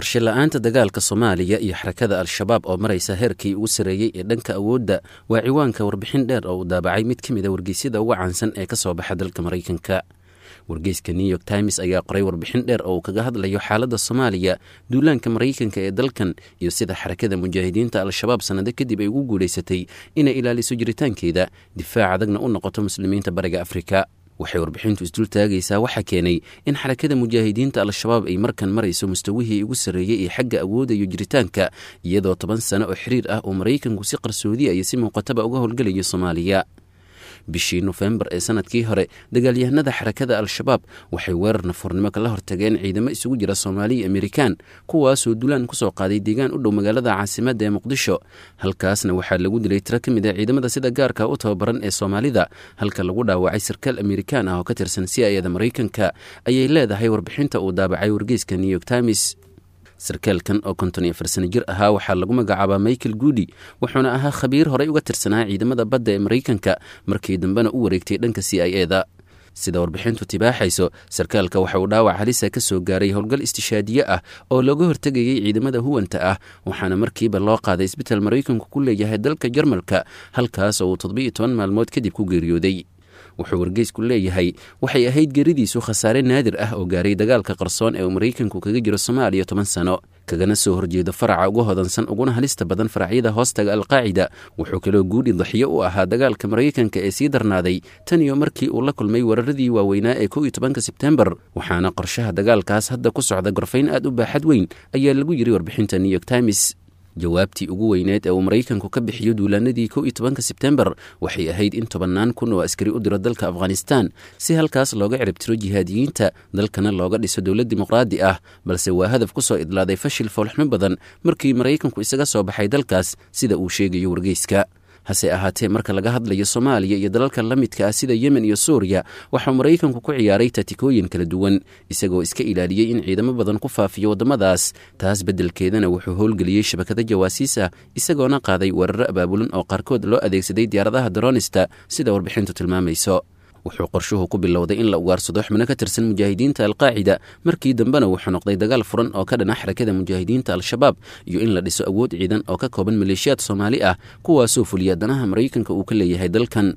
Qorshe la-aanta dagaalka Soomaaliya iyo xarakada Al-Shabaab oo maraysa heerkii ugu sarreeyey ee dhanka awoodda waa ciwaanka warbixin dheer oo uu daabacay mid ka mid a wargeysyada ugu caansan ee ka soo baxa dalka Maraykanka. Wargeyska New York Times ayaa qoray warbixin dheer oo uu kaga hadlayo xaaladda Soomaaliya, duulaanka Maraykanka ee dalkan iyo sida xarakada mujaahidiinta Al-Shabaab sannado kadib ay ugu guulaysatay inay ilaaliso jiritaankeeda, difaac adagna u noqoto muslimiinta Bariga Afrika. Waxay warbixintu isdul taagaysaa waxaa keenay in xarakada mujaahidiinta Al-Shabaab ay markan marayso mustawihii ugu sarreeyey ee xagga awoodda iyo jiritaanka, iyadoo 10 sano oo xiriir ah uu Maraykanku si qarsoodiya iyo si muuqataba uga howlgelayo Soomaaliya. Bishii Nofembar ee sanadkii hore, dagaalyahanada xarakada Al-Shabaab waxay weerar nafurnimo kala hortageen ciidamo isugu jira Soomaaliya iyo Amerikaan, kuwaasoo dulaan kusoo qaaday deegaan u dhow magaalada caasimadda ee Muqdisho. Halkaasna waxaa lagu dilay tiro ka mid a ciidamada sida gaarka u tababaran ee Soomaalida, halka lagu dhaawacay sarkaal Amerikaan ah oo ka tirsan C I ada Maraykanka, ayay leedahay warbixinta uu daabacay wargeyska New York Times. Sarkaalkan oo 54 sano jir ahaa waxaa lagu magacaabaa Michael Goody, wuxuuna ahaa khabiir horey uga tirsanaa ciidamada badda ee Maraykanka, markii dambena u wareegtay dhanka C I A da. Sida warbixintu tibaaxayso, sarkaalka waxa uu dhaawac halisa ka soo gaaray howlgal istishaadiye ah oo looga hortegayay ciidamada huwanta ah, waxaana markiiba loo qaaday isbital Maraykanku ku leeyahay dalka Jarmalka, halkaas oo uu 17 maalmood kadib ku geeriyooday. Wuxuu wargeysku leeyahay waxay ahayd geeridiisu khasaare naadir ah oo gaaray dagaalka qarsoon ee uu Maraykanku kaga jiro Soomaaliya 10 sano, kagana soo horjeedo faraca uga hodansan uguna halista badan faracyada hoostaga Alqaacida. Wuxuu kaloo Guudhi daxiyo u ahaa dagaalka Maraykanka ee sii darnaaday tan iyo markii uu la kulmay weeraradii waaweynaa ee 11-ka Sebtembar, waxaana qorshaha dagaalkaas hadda ku socda gorfayn aad u baaxad weyn, ayaa lagu yiri warbixinta New York Times. Jawaabtii ugu weyneed ee uu Maraykanku ka bixiyo duulaanadii 11-ka Sebtembar waxay ahayd in tobannaan kun oo askari u diro dalka Afghanistan si halkaas looga ciribtiro jihaadiyiinta, dalkana looga dhiso dowlad dimuqraadi ah, balse waa hadaf ku soo idlaaday fashil foolxumo badan markii Maraykanku isaga soo baxay dalkaas, sida uu sheegayo wargeyska. Hase ahaatee, marka laga hadlayo Soomaaliya iyo dalalka la midka ah sida Yemen iyo Suuriya, waxuu Maraykanku ku ciyaaray tatikooyin kala duwan, isagoo iska ilaaliyey in ciidamo badan ku faafiyo waddamadaas. Taas beddelkeedana wuxuu howlgeliyey shabakado jawaasiis ah, isagoona qaaday weeraro abaabulan oo qaarkood loo adeegsaday diyaaradaha daroonista, sida warbixintu tilmaamayso. Wuxuu qorshuhu ku bilowday in la ugaarsado xubno ka tirsan mujaahidiinta Alqaacida, markii dambena wuxuu noqday dagaal furan oo ka dhana xarakada mujaahidiinta Al-Shabaab iyo in la dhiso awood ciidan oo ka kooban maleeshiyaad Soomaali ah, kuwaasoo fuliya danaha Maraykanka uu ka leeyahay dalkan.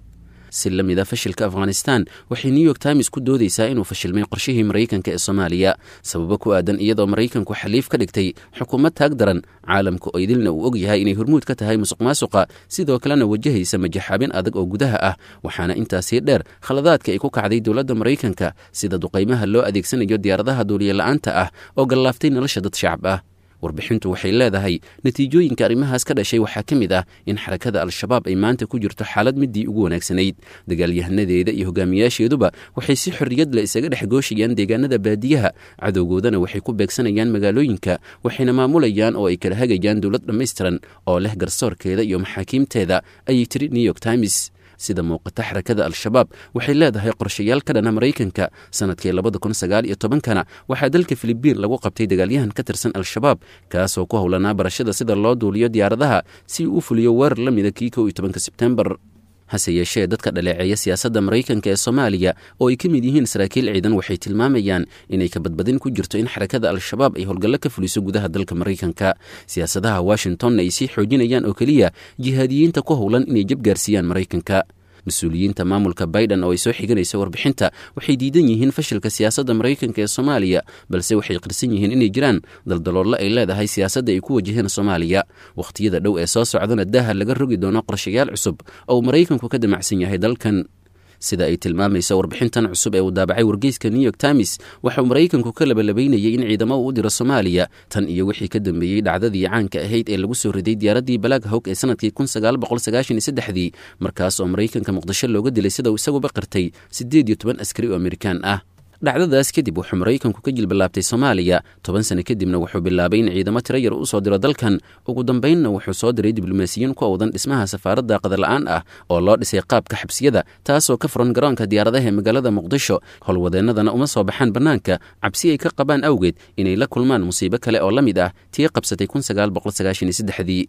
Si la mid a fashilka Afghanistan, waxay New York Times ku doodaysaa inuu fashilmay qorshihii Maraykanka ee Soomaaliya, sababo ku aadan iyadoo Maraykanku xaliif ka dhigtay xukuumad taag daran, caalamka oo idilna uu og yahay inay hormuud ka tahay musuq maasuqa, sidoo kalena wajahaysa majaxaabin adag oo gudaha ah. Waxaana intaasii dheer khaladaadka ay ku kacday dowladda Maraykanka, sida duqaymaha loo adeegsanayo diyaaradaha duuliye la-aanta ah oo gallaaftay nolosha dad shacab ah. Warbixintu waxay leedahay natiijooyinka arrimahaas ka dhashay waxaa ka mid ah in xarakada Al-Shabaab ay maanta ku jirto xaalad midii ugu wanaagsanayd. Dagaalyahanadeeda iyo hogaamiyaasheeduba waxay si xorriyad leh isaga dhex gooshayaan deegaanada baadiyaha, cadowgoodana waxay ku beegsanayaan magaalooyinka, waxayna maamulayaan oo ay kala hagayaan dowlad dhammaystiran oo leh garsoorkeeda iyo maxaakiimteeda, ayay tiri New York Times. Sida muuqata, xarakada Al-Shabaab waxay leedahay qorshayaal ka dhana Maraykanka. Sanadkii 2019-kana waxaa dalka Filibiin lagu qabtay dagaalyahan ka tirsan Al-Shabaab, kaasoo ku howlanaa barashada sida loo duuliyo diyaaradaha si uu u fuliyo weerar la mida kii 11-ka Sebtembar. Hase yeeshee, dadka dhaleeceeya siyaasadda Maraykanka ee Soomaaliya oo ay ka mid yihiin saraakiil ciidan waxay tilmaamayaan inay kabadbadin ku jirto in xarakada Al-Shabaab ay howlgallo ka fuliso gudaha dalka Maraykanka, siyaasadaha Washingtonna ay sii xoojinayaan oo keliya jihaadiyiinta ku howlan inay jab gaarsiiyaan Maraykanka. Mas-uuliyiinta maamulka Biden oo ay soo xiganayso warbixinta waxay diidan yihiin fashilka siyaasadda Maraykanka ee Soomaaliya, balse waxay qirsan yihiin inay jiraan daldaloollo ay leedahay siyaasadda ay ku wajaheen Soomaaliya. Wakhtiyada dhow ee soo socdana daaha laga rogi doono qorshayaal cusub oo uu Maraykanku ka damacsan yahay dalkan. Sida ay tilmaamayso warbixintan cusub ee uu daabacay wargeyska New York Times, waxauu Maraykanku ka labalabaynayay in ciidamo uu u diro Soomaaliya tan iyo wixii ka dambeeyey dhacdadii caanka ahayd ee lagu soo riday diyaaraddii Balaag Hawg ee sanadkii 1993-dii, markaas oo Maraykanka Muqdisho looga dilay, sida uu isaguba qirtay, 18 askari oo Amerikaan ah. Dhacdadaas kadib wuxuu Maraykanku ka jilbilaabtay Soomaaliya. 10 sano kadibna wuxuu bilaabay in ciidamo tiro yar u soo diro dalkan. Ugu dambaynna wuxuu soo diray diblomaasiyiin ku awdan dhismaha safaaradda qadar-la'aan ah oo loo dhisay qaabka xabsiyada, taasoo ka furan garoonka diyaaradaha ee magaalada Muqdisho. Howlwadeennadana uma soo baxaan bannaanka cabsi ay ka qabaan awgeed inay la kulmaan musiibo kale oo la mid ah tii qabsatay 1993-dii.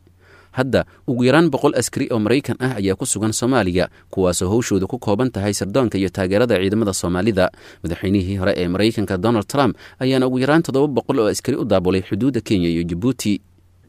Hadda ugu yaraan 100 askari oo Maraykan ah ayaa ku sugan Soomaaliya, kuwaasoo howshooda ku kooban tahay sirdoonka iyo taageerada ciidamada Soomaalida. Madaxweynihii hore ee Maraykanka Donald Trump ayaana ugu yaraan 700 oo askari u daabulay xuduudda Kenya iyo Jabuuti.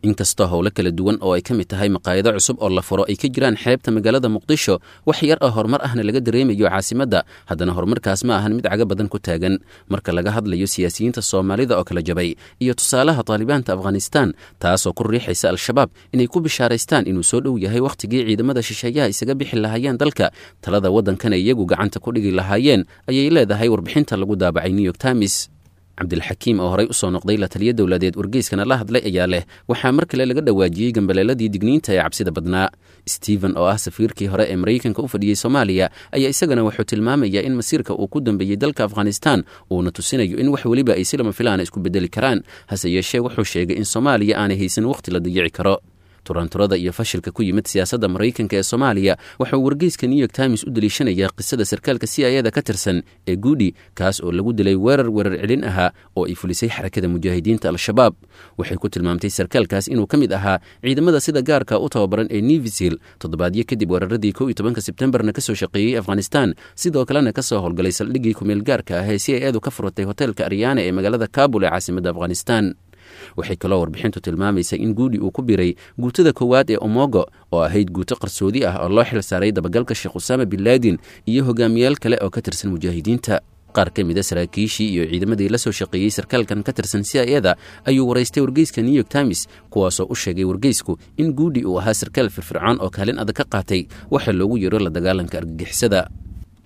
Inkastoo howlo kala duwan oo ay ka mid tahay maqaayado cusub oo la furo ay ka jiraan xeebta magaalada Muqdisho, wax yar oo horumar ahna laga dareemayo caasimadda, haddana horumarkaas ma ahan mid caga badan ku taagan. Marka laga hadlayo siyaasiyiinta Soomaalida oo kala jabay iyo tusaalaha Taalibaanta Afghanistan, taasoo ku riixaysa Al-Shabaab inay ku bishaaraystaan inuu soo dhow yahay wakhtigii ciidamada shisheeyaha isaga bixi lahaayeen dalka, talada waddankana iyagu gacanta ku dhigi lahaayeen, ayay leedahay warbixinta lagu daabacay New York Times. Cabdilxakiim oo horey usoo noqday la taliyo dowladeed wargeyskana la hadlay ayaa leh, waxaa mar kale laga dhawaajiyey gambaleeladii digniinta ee cabsida badnaa. Stephen oo ah safiirkii hore ee Maraykanka u fadhiyey Soomaaliya ayaa isagana wuxuu tilmaamayaa in masiirka uu ku dambeeyey dalka Afghanistan uuna tusinayo in wax weliba ay si lama filaana isku bedeli karaan. Hase yeeshee wuxuu sheegay in Soomaaliya aanay haysan wakhti la dayici karo. Turanturada iyo fashilka ku yimid siyaasadda Maraykanka ee Soomaaliya waxauu wargeyska New York Times u deliishanayaa qisada sarkaalka C I da ka tirsan ee Guudi, kaas oo lagu dilay weerar weerar celin ahaa oo ay fulisay Xarakada Mujaahidiinta Al-Shabaab. Waxay ku tilmaamtay sarkaalkaas inuu ka mid ahaa ciidamada sida gaarka u tababaran ee Nevisil, toddobaadyo kadib weeraradii 11-ka Sebtembarna kasoo shaqeeyey Afghanistan, sidoo kalena kasoo howlgalay saldhiggii kumeel gaarka ah ee C I adu ka furatay hoteelka Aryaana ee magaalada Kabul ee caasimadda Afghanistan. Waxay kaloo warbixintu tilmaamaysa in Guudi uu ku biray guutada koowaad ee Omogo, oo ahayd guuto qarsoodi ah oo loo xil saaray dabagalka Sheekh Usaama bin Laadin iyo hogaamiyaal kale oo ka tirsan mujaahidiinta. Qaar ka mid a saraakiishii iyo ciidamadii la soo shaqeeyey sarkaalkan ka tirsan C I da ayuu waraystay wargeyska New York Times, kuwaasoo u sheegay wargeysku in Guudi uu ahaa sarkaal firfircoon oo kaalin adag ka qaatay waxa loogu yeero la dagaalanka argagixisada.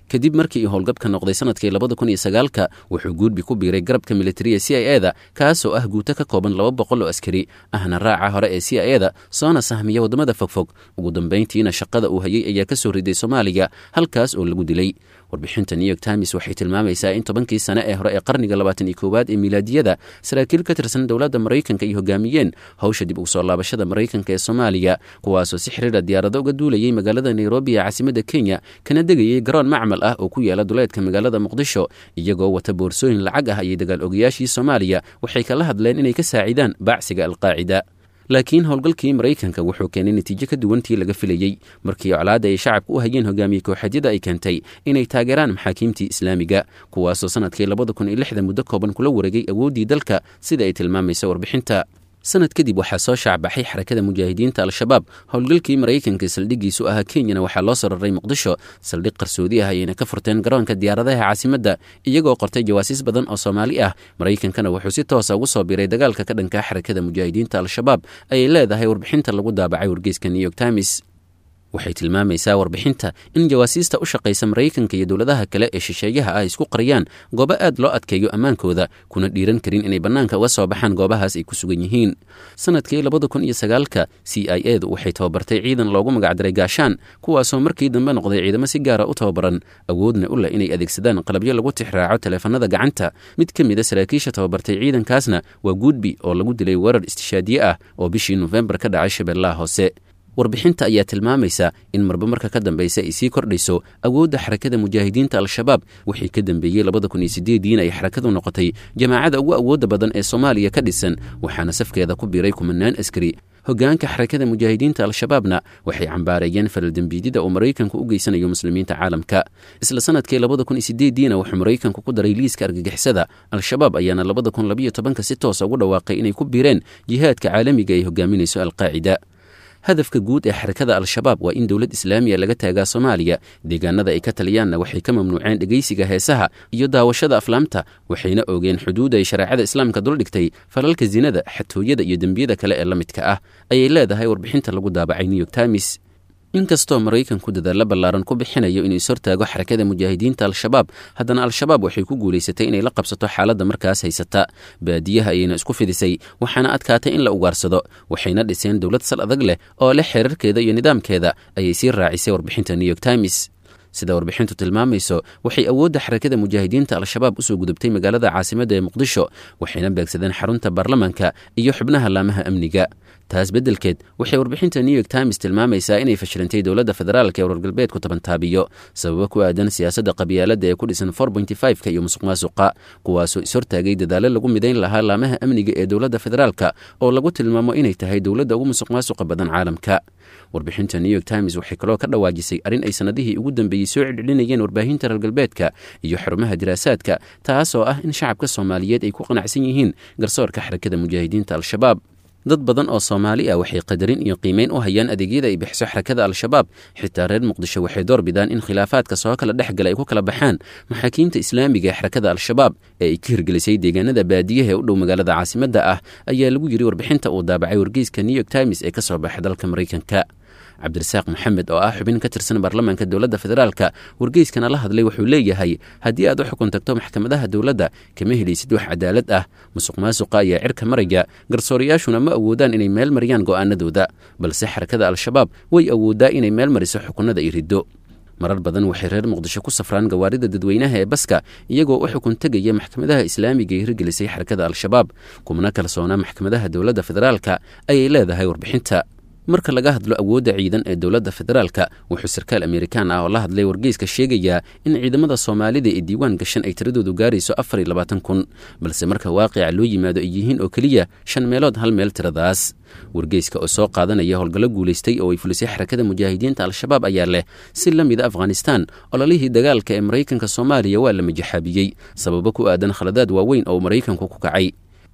Kadib markii uu howlgabka noqday sanadkii 2009-ka, wuxuu Guudbi ku biiray garabka militariya C I A da, kaasoo ah guuto ka kooban 200 oo askari ahna raaca hore ee C I A da, soona sahmiya waddamada fogfog. Ugu dambayntiina shaqada uu hayay ayaa ka soo riday Soomaaliya, halkaas oo lagu dilay. Warbixinta New York Times waxay tilmaamaysaa in 10-kii sane ee hore ee qarniga 21aad ee milaadiyada saraakiil ka tirsan dowladda Maraykanka ay hogaamiyeen howsha dib ugu soo laabashada Maraykanka ee Soomaaliya, kuwaasoo si xiriira diyaarado uga duulayay magaalada Nairobi ee caasimadda Kenya, kana degayay garoon macmal ah oo ku yaala duleedka magaalada Muqdisho, iyagoo wata boorsooyin lacag ah ayay dagaal ogayaashii Soomaaliya waxay kala hadleen inay ka saacidaan baacsiga Alqaacida. Laakiin howlgalkii Maraykanka wuxuu keenay natiijo ka duwantii laga filayey, markii colaadda ay shacabka u hayeen hogaamiye kooxeedyada ay keentay inay taageeraan maxaakiimtii Islaamiga, kuwaasoo sanadkii 2006-da muddo kooban kula wareegay awooddii dalka, sida ay tilmaamayso warbixinta. Sanad kadib waxaa soo shaacbaxay Xarakada Mujaahidiinta Al-Shabaab. Howlgalkii Maraykanka saldhiggiisu ahaa Kenyana waxaa loo soo raray Muqdisho, saldhig qarsoodi ah ayayna ka furteen garoonka diyaaradaha caasimadda, iyagoo qortay jawaasiis badan oo Soomaali ah. Maraykankana wuxuu si toosa ugu soo biiray dagaalka ka dhanka Xarakada Mujaahidiinta Al-Shabaab, ayay leedahay warbixinta lagu daabacay wargeyska New York Times. Waxay tilmaamaysaa warbixinta in jawaasiista u shaqaysa Maraykanka iyo dowladaha kale ee shisheeyaha ah isku qariyaan goobo aad loo adkeeyo ammaankooda, kuna dhiiran karin inay bannaanka uga soo baxaan goobahaas ay ku sugan yihiin. Sanadkii 2009-ka C I A du waxay tababartay ciidan loogu magacdaray Gaashaan, kuwaasoo markii dambe noqday ciidamo si gaara u tababaran, awoodna u leh inay adeegsadaan qalabyo lagu tixraaco taleefanada gacanta. Mid ka mid a saraakiisha tababartay ciidankaasna waa Guudbi oo lagu dilay weerar istishaadiye ah oo bishii Nofembar ka dhacay Shabeellaha Hoose. Warbixinta ayaa tilmaamaysa in marba marka ka dambaysa ay sii kordhayso awoodda Xarakada Mujaahidiinta Al-Shabaab. Wixii ka dambeeyey 2008-diina ay xarakadu noqotay jamaacada ugu awoodda badan ee Soomaaliya ka dhisan, waxaana safkeeda ku biiray kumanaan askari. Hogaanka Xarakada Mujaahidiinta Al-Shabaabna waxay cambaareeyeen falaldembiidyada uu Maraykanku u geysanayo muslimiinta caalamka. Isla sanadkii 2008-diina wuxuu Maraykanku ku daray liiska argagixisada. Al-Shabaab ayaana 2012-ka si toosa ugu dhawaaqay inay ku biireen jihaadka caalamiga ay hogaaminayso Alqaacida. Hadafka guud ee Xarakada Al-Shabaab waa in dowlad Islaamiya laga taagaa Soomaaliya. Deegaanada ay ka taliyaanna waxay ka mamnuuceen dhegaysiga heesaha iyo daawashada aflaamta, waxayna oogeen xuduud ay shareecada Islaamka duldhigtay falalka sinada, xatooyada iyo dembiyada kale ee la midka ah, ayay leedahay warbixinta lagu daabacay New York Times. Inkastoo Maraykanku dadaallo ballaaran ku bixinayo inuu ishortaago Xarakada Mujaahidiinta Al-Shabaab, haddana Al-Shabaab waxay ku guulaysatay inay la qabsato xaaladda markaas haysata. Baadiyaha ayayna isku fidisay, waxaana adkaatay in la ugaarsado, waxayna dhiseen dowlad sal adag leh oo leh xeerarkeeda iyo nidaamkeeda, ayay sii raacisay warbixinta New York Times. Sida warbixintu tilmaamayso, waxay awoodda xarakada mujaahidiinta Al-Shabaab usoo gudubtay magaalada caasimadda ee Muqdisho, waxayna beegsadeen xarunta baarlamaanka iyo xubnaha laamaha amniga. Taas beddelkeed, waxay warbixinta New York Times tilmaamaysaa inay fashilantay dowladda federaalka ee reer galbeedku tabantaabiyo, sababo ku aadan siyaasadda qabyaaladda ee ku dhisan 4.5-ka iyo musuq maasuqa, kuwaasoo ishortaagay dadaallo lagu midayn lahaa laamaha amniga ee dowladda federaalka oo lagu tilmaamo inay tahay dowladda ugu musuq maasuqa badan caalamka. Warbixinta New York Times waxay kaloo ka dhawaajisay arrin ay sannadihii ugu dambeeyey soo celcelinayeen warbaahinta reer galbeedka iyo xarumaha diraasaadka, taasoo ah in shacabka Soomaaliyeed ay ku qanacsan yihiin garsoorka xarakada mujaahidiinta Al-Shabaab. Dad badan oo Soomaali ah waxay qadarin iyo qiimeyn u hayaan adeegyada ay bixiso xarakada Al-Shabaab. Xitaa reer Muqdisho waxay door bidaan in khilaafaadka soo kala dhex gala ay ku kala baxaan maxaakiimta islaamiga ee xarakada Al-Shabaab ee ay ka hirgelisay deegaanada baadiyaha ee u dhow magaalada caasimadda ah, ayaa lagu yiri warbixinta uu daabacay wargeyska New York Times ee ka soo baxay dalka Maraykanka. Cabdirasaaq Maxamed oo ah xubin ka tirsan baarlamaanka dowladda federaalka, wargeyskana la hadlay, wuxuu leeyahay: haddii aad u xukun tagto maxkamadaha dowladda, kama helaysid wax cadaalad ah. Musuq maasuqa ayaa cirka maraya, garsooriyaashuna ma awoodaan inay meel mariyaan go'aanadooda, balse xarakada Al-Shabaab way awooddaa inay meel mariso xukunnada iyo riddo. Marar badan waxay reer Muqdisho ku safraan gawaarida dadweynaha ee baska, iyagoo u xukun tegaya maxkamadaha islaamiga ee hirgelisay xarakada Al-Shabaab, kumana kalsoonaa maxkamadaha dowladda federaalka, ayay leedahay warbixinta. Marka laga hadlo awoodda ciidan ee dowladda federaalka, wuxuu sarkaal Amerikaan ah oo la hadlay wargeyska sheegayaa in ciidamada Soomaalida ee diiwaan gashan ay tiradoodu gaarayso 24,000, balse marka waaqica loo yimaado ay yihiin oo keliya shan meelood hal meel tiradaas. Wargeyska oo soo qaadanaya howlgallo guulaystay oo ay fulisay xarakada mujaahidiinta Al-Shabaab ayaa leh: si la mida Afghanistan, ololihii dagaalka ee Maraykanka Soomaaliya waa la majaxaabiyey, sababo ku aadan khaladaad waaweyn oo Maraykanku ku kacay.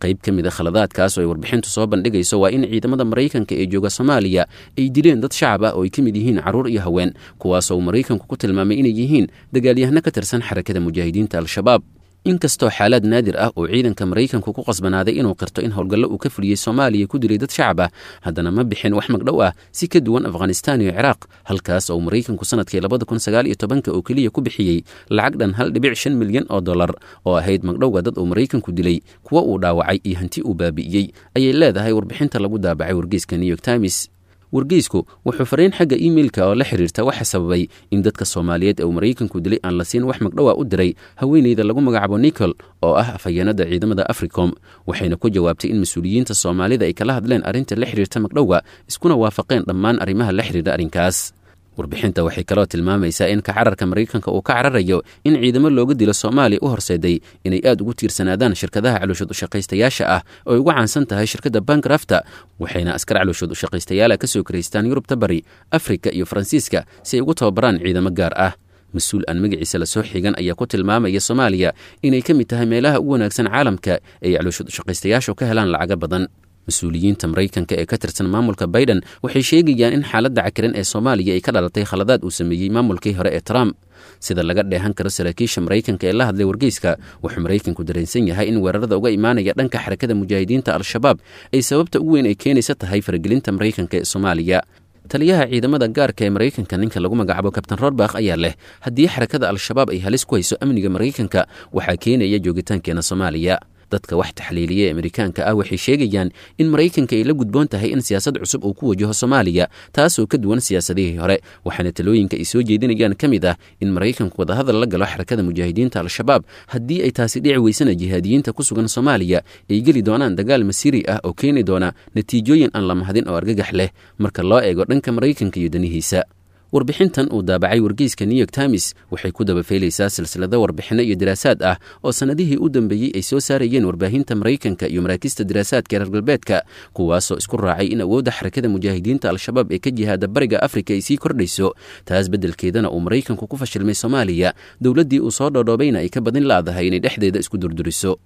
Qayb ka mid a khaladaadkaas oo ay warbixintu soo bandhigayso waa in ciidamada Maraykanka ee jooga Soomaaliya ay dileen dad shacab ah oo ay ka mid yihiin carruur iyo haween, kuwaasoo Maraykanku ku tilmaamay inay yihiin dagaalyahano ka tirsan xarakada mujaahidiinta Al-Shabaab. Inkastoo xaalaad naadir ah oo ciidanka Maraykanku ku qasbanaaday inuu qirto in howlgallo uu ka fuliyey Soomaaliya ku dilay dad shacab ah, haddana ma bixin wax magdhow ah, si ka duwan Afghanistan iyo Ciraaq, halkaas oo Maraykanku sanadkii 2019-ka oo keliya ku bixiyey lacag dhan 1.5 milyan oo dollar oo ahayd magdhowga dad uu Maraykanku dilay, kuwa uu dhaawacay iyo hanti uu baabi'iyey, ayay leedahay warbixinta lagu daabacay wargeyska New York Times. Wargeysku wuxuu fariin xagga imeilka oo la xiriirta waxa sababay in dadka Soomaaliyeed ee uu Maraykanku dilay aan la siin wax magdhowa u diray haweeneyda lagu magacaabo Nicol oo ah afhayeenada ciidamada Africom, waxayna ku jawaabtay in mas-uuliyiinta Soomaalida ay kala hadleen arrinta la xiriirta magdhowga, iskuna waafaqeen dhammaan arrimaha la xiriira arrinkaas. Warbixinta waxay kaloo tilmaamaysaa in kacararka Maraykanka uu ka cararayo in ciidamo looga dilo Soomaaliya u horseeday inay aad ugu tiirsanaadaan shirkadaha calooshood ushaqaystayaasha ah oo ay ugu caansan tahay shirkadda Bankrafta, waxayna askar calooshood ushaqaystayaala ka soo karaystaan Yurubta Bari, Afrika iyo Faransiiska si ay ugu tababaraan ciidamo gaar ah. Mas-uul aan magaciisa lasoo xigan ayaa ku tilmaamaya Soomaaliya inay ka mid tahay meelaha ugu wanaagsan caalamka ee ay calooshood ushaqaystayaashu ka helaan lacago badan. Mas-uuliyiinta Maraykanka ee ka tirsan maamulka Biden waxay sheegayaan in xaaladda cakiran ee Soomaaliya ay ka dhalatay khaladaad uu sameeyey maamulkii hore ee Trump. Sida laga dheehan karo saraakiisha Maraykanka ee la hadlay wargeyska, wuxuu Maraykanku dareensan yahay in weerarada uga imaanaya dhanka xarakada mujaahidiinta Al-Shabaab ay sababta ugu weyn ay keenaysa tahay faragelinta Maraykanka ee Soomaaliya. Taliyaha ciidamada gaarka ee Maraykanka, ninka lagu magacaabo Kabtan Rorbakh, ayaa leh: haddii xarakada Al-Shabaab ay halis ku hayso amniga Maraykanka, waxaa keenaya joogitaankeena Soomaaliya. Dadka wax taxliiliya ee Amerikaanka ah waxay sheegayaan in Maraykanka ay la gudboon tahay in siyaasad cusub uu ku wajaho Soomaaliya, taasoo ka duwan siyaasadihii hore, waxaana talooyinka ay soo jeedinayaan ka mid ah in Maraykanku wadahadal la galo xarakada mujaahidiinta Al-Shabaab. Haddii ay taasi dhici weysana, jihaadiyiinta ku sugan Soomaaliya ay geli doonaan dagaal masiiri ah oo keeni doona natiijooyin aan la mahadin oo argagax leh marka loo eego dhanka Maraykanka iyo danihiisa. Warbixintan uu daabacay wargeyska New York Times waxay ku dabafeelaysaa silsilado warbixinno iyo diraasaad ah oo sannadihii u dambeeyey ay soo saarayeen warbaahinta Maraykanka iyo maraakiista diraasaadka reer galbeedka, kuwaasoo isku raacay in awoodda xarakada mujaahidiinta Al-Shabaab ee ka jihaada bariga Afrika ay sii kordhayso, taas beddelkeedana uu Maraykanku ku fashilmay Soomaaliya, dowladdii uu soo dhoodhoobayna ay ka badin laadahay inay dhexdeeda isku durduriso.